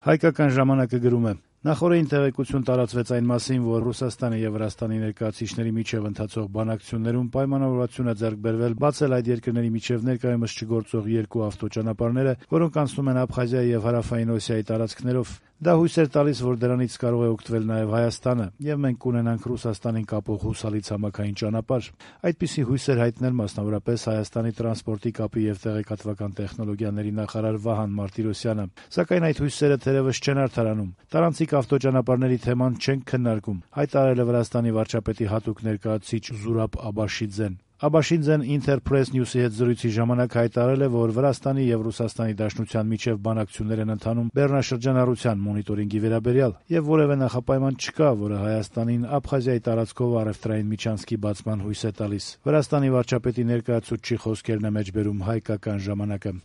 Հայկական ժամանակը գրում է. նախորդին տեղեկություն տարածվեց այն մասին, որ Ռուսաստանի եւ Վրաստանի ներկայացուցիչների միջև ընթացող բանակցություններում պայմանավորվածություն է ձեռք բերվել բացել այդ երկրների միջև ներկայումս չգործող երկու ավտոճանապարհները, որոնք անցնում են Աբխազիայի եւ Հարավային Օսիայի տարածքներով։ Դա հույս էր տալիս, որ դրանից կարող է օգտվել նաեւ Հայաստանը, եւ մենք կունենանք Ռուսաստանին կապող հուսալի ցամաքային ճանապարհ։ Այդպիսի հույս էր հայտնել մասնավորապես Հայաստանի տրանսպորտի կապի եւ տեղեկատվական տեխնոլոգիաների նախարար Վահան Մարտիրոսյանը։ Սակայն այդ հույսերը թերևս չեն արդարանում։ Տարանցիկ ավտոճանապարհների թեման չենք քննարկում, հայտարարել է Վրաստանի վարչապետի հատուկ ներկայացուցիչ Զուրաբ Աբաշիձեն։ Աբաշիձեն Interpress News-ի հետ զրույցի ժամանակ հայտարարել է, որ Վրաստանի եւ Ռուսաստանի Դաշնության միջև բանակցություններ են ընթանում բեռնաշրջանառության մոնիտորինգի վերաբերյալ եւ որևէ նախապայման չկա, որը Հայաստանին Աբխազիայի տարածքով առևտրային միջանցքի բացման հույս է տալիս։ Վրաստանի վարչապետի ներկայացուցչի խոսքերն է մեջբերում Հայկական ժամանակը։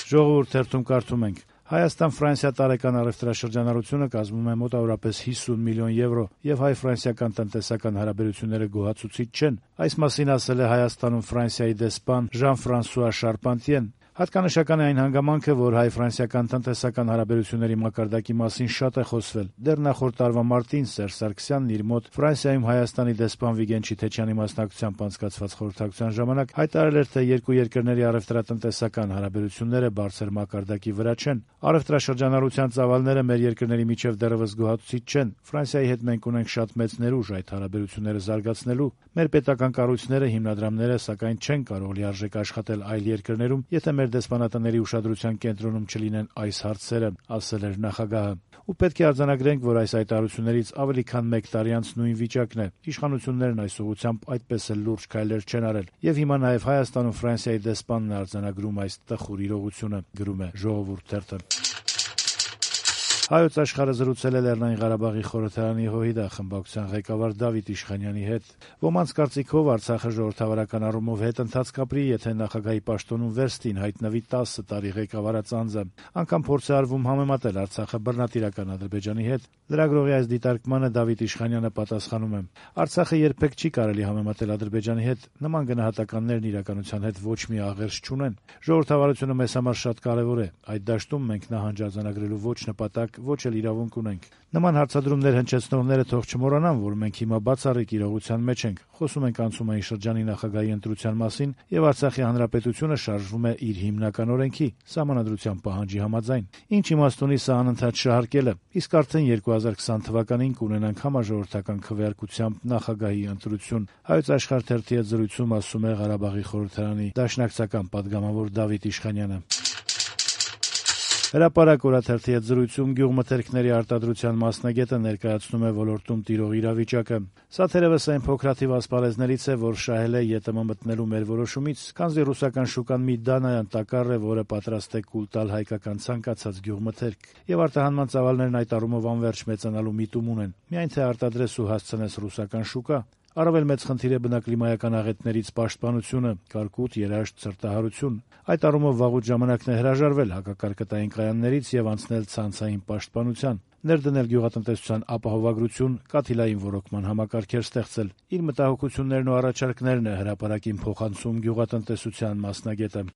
Ժողովուրդ թերթում կարդում ենք. Հայաստան-Ֆրանսիա տարեկան առևտրաշրջանառությունը կազմում է մոտավորապես 50 միլիոն եվրո եւ հայ-ֆրանսիական տնտեսական հարաբերությունները գոհացուցիչ չեն։ Այս մասին ասել է Հայաստանում Ֆրանսիայի դեսպան Ժան-Ֆրանսուଆ Շարպանտիեն։ Հատկանշական է այն հանգամանքը, որ հայ-ֆրանսիական տնտեսական հարաբերությունների մակարդակի մասին շատ է խոսվել։ Դեռ նախորդ տարվա մարտին Սերժ Սարգսյանն իր մոտ Ֆրանսիայում Հայաստանի դեսպան Վիգեն Չիթեչյանի մասնակցությամբ անցկացված խորհրդակցության ժամանակ հայտարարել էր, թե երկու երկրների առևտրատնտեսական հարաբերությունները բարձր մակարդակի վրա չեն։ Առևտրաշրջանառության ծավալները մեր երկրների միջև դեռևս գոհացուցիչ չեն։ Ֆրանսիայի հետ մենք ունենք շատ մեծ ներուժ այդ հարաբերությունները զարգացնելու։ Մեր պետական կառույցները, հիմնադրամները, սակայն չեն կարող լիարժեք աշխատել այլ երկրներում, եթե մեր դեսպանատների ուշադրության կենտրոնում չլինեն այս հարցերը, ասել էր նախագահը։ Ու պետք է արձանագրենք, որ այս հայտարարություններից ավելի քան 1 տարի անց նույն վիճակն է։ Իշխանություններն այս ուղղությամբ այդպես էլ լուրջ քայլեր չեն արել։ Եվ հիմա նաև Հայաստանում Ֆրանսիայի դեսպանն է արձանագրում այս տխուր իրողությունը, գրում է Ժողովուրդ թերթը։ Հայոց աշխարհը զրուցել է Լեռնային Ղարաբաղի խորհրդարանի ՀՅԴ խմբակցության ղեկավար Դավիթ Իշխանյանի հետ։ Ոմանց կարծիքով Արցախը ժողովրդավարական առումով հետընթաց կապրի, եթե նախագահի պաշտոնում վերստին հայտնվի 10 տարի ղեկավարած անձը։ Անգամ փորձ է արվում համեմատել Արցախը բռնատիրական Ադրբեջանի հետ։ Լրագրողի այս դիտարկմանը Դավիթ Իշխանյանը պատասխանում է. Արցախը երբեք չի կարելի համեմատել Ադրբեջանի հետ, նման գնահատականներն իրականության հետ ոչ մի աղերս չունեն։ Ժողովրդավարությունը մեզ համար շատ կարևոր է։ Այդ դաշտում մենք նահանջ արձանագրելու ոչ նպատակ, ոչ էլ իրավունք ունենք։ Նման հարցադրումներ հնչեցնողները թող չմոռանան, որ մենք հիմա բացառիկ իրողության մեջ ենք։ Խոսում ենք անցումային շրջանի նախագահի ընտրության մասին, եւ Արցախի հանրապետությունը շարժվում է իր հիմնական օրենքի՝ Սահմանադրության պահանջի համաձայն։ Ինչ իմաստ ունի սա անընդհատ շահարկելը։ Իսկ արդեն 2020 թվականին կունենանք համաժողովրդական քվեարկությամբ նախագահի ընտրություն։ Հայոց աշխարհ թերթի հետ զրույցում ասում է Ղարաբաղի խորհրդարանի դաշնակցական падգամավոր Դավիթ Իշխանյանը։ Հրապարակ օրաթերթի հետ զրույցում գյուղմթերքների արտադրության մասնագետը ներկայացնում է ոլորտում տիրող իրավիճակը։ Սա թերևս այն փոքրաթիվ ասպարեզներից է, որ շահել է ԵՏՄ մտնելու մեր որոշումից, քանզի ռուսական շուկան մի դանայան տակառ է, որը պատրաստ է կուլ տալ հայկական ցանկացած գյուղմթերք, եւ արտահանման ծավալներն այդ առումով անվերջ մեծանալու միտում ունեն։ Միայն թե արտադրես ու հասցնես ռուսական շուկա։ Առավել մեծ խնդիր է բնակլիմայական աղետներից պաշտպանությունը, կարկուտ, երաշտ, ցրտահարություն։ Այդ առումով վաղուց ժամանակն է հրաժարվել հակակարկտային կայաններից եւ անցնել ցանցային պաշտպանության, ներդնել գյուղատնտեսության ապահովագրություն, կաթիլային ոռոգման համակարգեր ստեղծել։ Իր մտահոգություններն ու առաջարկներն է հրապարակին փոխանցում գյուղատնտեսության մասնագետը։